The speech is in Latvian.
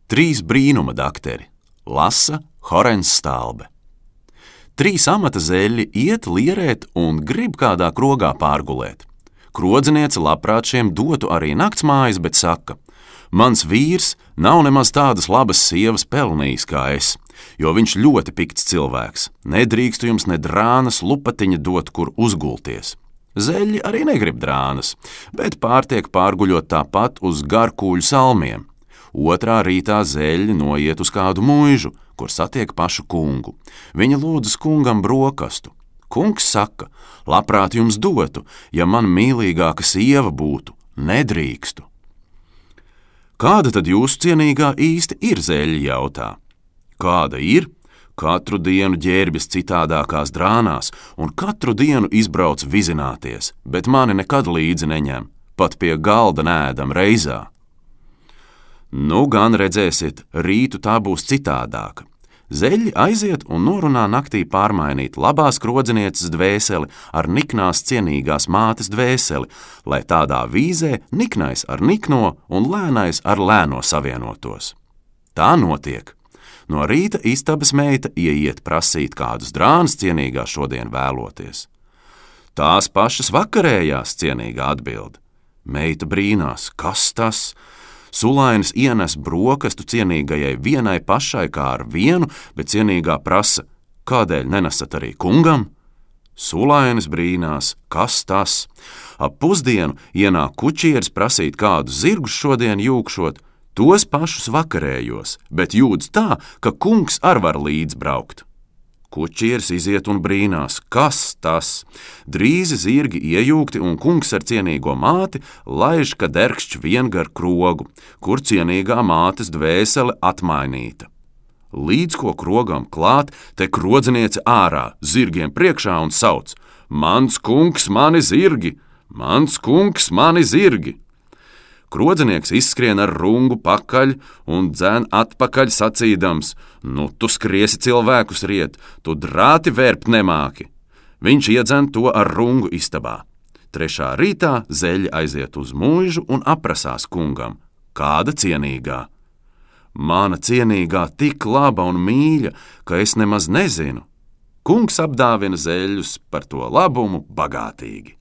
Trīs brīnuma dakteri lasa Horens Stalbe. Trīs amata zeļi iet lierēt un grib kādā krogā pārgulēt. Krodzniece labprāt šiem dotu arī naktsmājas, bet saka: mans vīrs nav nemaz tādas labas sievas pelnījis kā es, jo viņš ļoti pikts cilvēks. Nedrīkstu jums ne drānas lupatiņa dot, kur uzgulties. Zeļi arī negrib drānas, bet pārtiek pārguļot tāpat uz garkūļu salmiem. Otrā rītā zeļi noiet uz kādu muižu, kur satiek pašu kungu. Viņa lūdzas kungam brokastu. Kungs saka: labprāt jums dotu, ja man mīlīgāka sieva būtu, nedrīkstu. Kāda tad jūsu cienīgā īsti ir, zeļi jautā? Kāda ir? Katru dienu ģērbjas citādākās drānās un katru dienu izbrauc vizināties, bet mani nekad līdzi neņem, pat pie galda nēdam reizā. Nu gan redzēsiet, rītu tā būs citādāka. Zeļi aiziet un norunā naktī pārmainīt labās krodzinieces dvēseli ar niknās cienīgās mātes dvēseli, lai tādā vīzē niknais ar nikno un lēnais ar lēno savienotos. Tā notiek. No rīta istabas meita ieiet prasīt kādus drānas cienīgā šodien vēloties. Tās pašas vakarējās, cienīgā atbild. Meita brīnās, kas tas? Sulainis ienes brokastu cienīgajai vienai pašai kā ar vienu, bet cienīgā prasa: kādēļ nenesat arī kungam? Sulainis brīnās, kas tas? Ap pusdienu ienāk kučieris prasīt kādus zirgus šodien jūkšot, tos pašus vakarējos, bet jūdz tā, ka kungs ar var līdzbraukt. Kučieris iziet un brīnās, kas tas? Drīzi zirgi iejūgti un kungs ar cienīgo māti laiž, ka derkšķ vien gar krogu, kur cienīgā mātes dvēsele atmainīta. Līdz ko krogam klāt, te krodzniece ārā, zirgiem priekšā un sauc: mans kungs, mani zirgi! Mans kungs, mani zirgi! Krodznieks izskrien ar rungu pakaļ un dzen atpakaļ sacīdams: nu tu skriesi cilvēkus riet, tu drāti vērpt nemāki. Viņš iedzen to ar rungu istabā. Trešā rītā zeļi aiziet uz muižu un aprasās kungam: kāda cienīgā? Mana cienīgā tik laba un mīļa, ka es nemaz nezinu. Kungs apdāvina zeļus par to labumu bagātīgi.